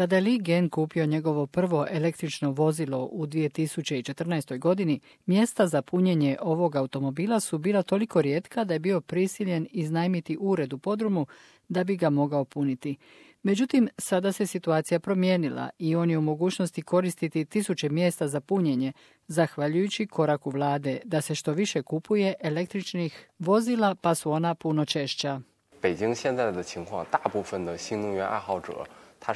Kada je Li Gen kupio njegovo prvo električno vozilo u 2014. godini, mjesta za punjenje ovog automobila su bila toliko rijetka da je bio prisiljen iznajmiti ured u podrumu da bi ga mogao puniti. Međutim, sada se situacija promijenila i on je u mogućnosti koristiti 1000 mjesta za punjenje, zahvaljujući koraku vlade da se što više kupuje električnih vozila, pa su ona puno češća.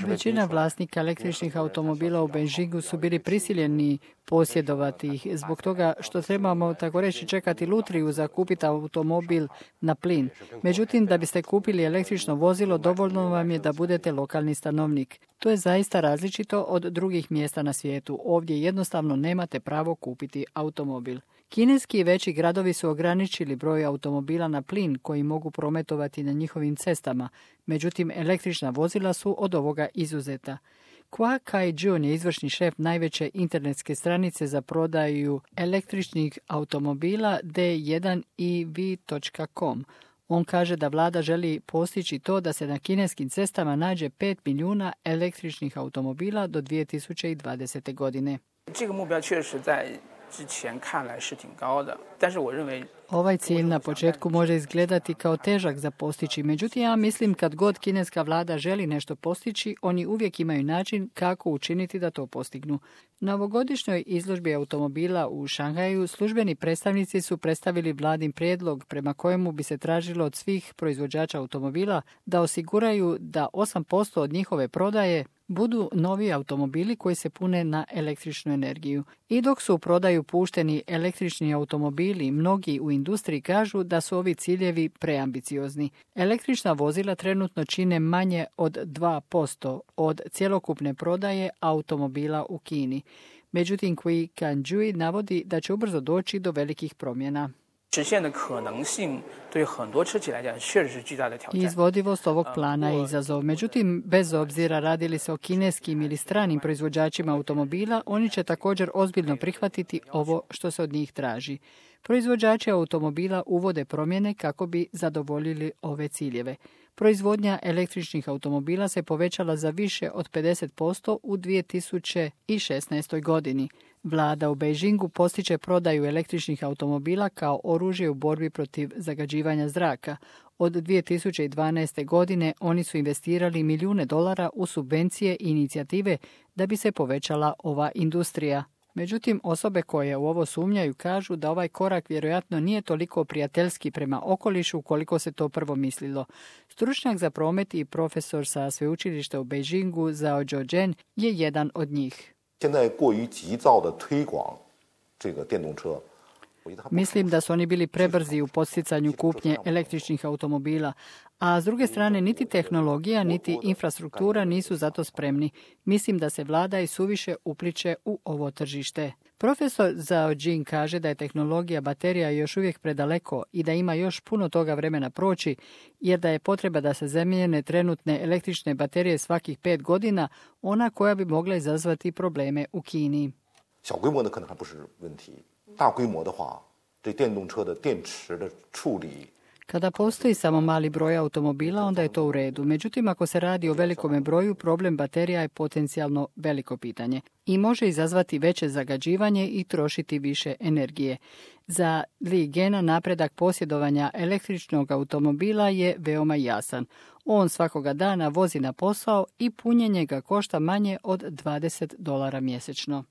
Većina vlasnika električnih automobila u Beijingu su bili prisiljeni posjedovati ih zbog toga što trebamo, tako reći, čekati lutriju za kupiti automobil na plin. Međutim, da biste kupili električno vozilo, dovoljno vam je da budete lokalni stanovnik. To je zaista različito od drugih mjesta na svijetu. Ovdje jednostavno nemate pravo kupiti automobil. Kineski i veći gradovi su ograničili broj automobila na plin koji mogu prometovati na njihovim cestama, međutim električna vozila su od ovoga izuzeta. Kwa Kai-jun je izvršni šef najveće internetske stranice za prodaju električnih automobila d1ev.com. On kaže da vlada želi postići to da se na kineskim cestama nađe 5 milijuna električnih automobila do 2020. godine. Ovaj cilj na početku može izgledati kao težak za postići, međutim ja mislim kad god kineska vlada želi nešto postići, oni uvijek imaju način kako učiniti da to postignu. Na ovogodišnjoj izložbi automobila u Šanghaju službeni predstavnici su predstavili vladin prijedlog prema kojemu bi se tražilo od svih proizvođača automobila da osiguraju da 8% od njihove prodaje budu novi automobili koji se pune na električnu energiju. I dok su u prodaju pušteni električni automobili, mnogi u industriji kažu da su ovi ciljevi preambiciozni. Električna vozila trenutno čine manje od 2% od cjelokupne prodaje automobila u Kini. Međutim, Kui Kanjui navodi da će ubrzo doći do velikih promjena. Izvodivost ovog plana je izazov. Međutim, bez obzira radi li se o kineskim ili stranim proizvođačima automobila, oni će također ozbiljno prihvatiti ovo što se od njih traži. Proizvođači automobila uvode promjene kako bi zadovoljili ove ciljeve. Proizvodnja električnih automobila se povećala za više od 50% u 2016. godini. Vlada u Beijingu postiče prodaju električnih automobila kao oružje u borbi protiv zagađivanja zraka. Od 2012. godine oni su investirali milijune dolara u subvencije i inicijative da bi se povećala ova industrija. Međutim, osobe koje u ovo sumnjaju kažu da ovaj korak vjerojatno nije toliko prijateljski prema okolišu koliko se to prvo mislilo. Stručnjak za promet i profesor sa sveučilišta u Beijingu Zhao Zhou je jedan od njih. Mislim da su oni bili prebrzi u podsticanju kupnje električnih automobila, a s druge strane niti tehnologija niti infrastruktura nisu za to spremni. Mislim da se vlada i suviše upliče u ovo tržište. Profesor Zhao Jing kaže da je tehnologija baterija još uvijek predaleko i da ima još puno toga vremena proći, jer da je potreba da se zamijene trenutne električne baterije svakih 5 godina, ona koja bi mogla izazvati probleme u Kini. Kada postoji samo mali broj automobila, onda je to u redu. Međutim, ako se radi o velikome broju, problem baterija je potencijalno veliko pitanje i može izazvati veće zagađivanje i trošiti više energije. Za Li Gena napredak posjedovanja električnog automobila je veoma jasan. On svakoga dana vozi na posao i punjenje ga košta manje od $20 mjesečno.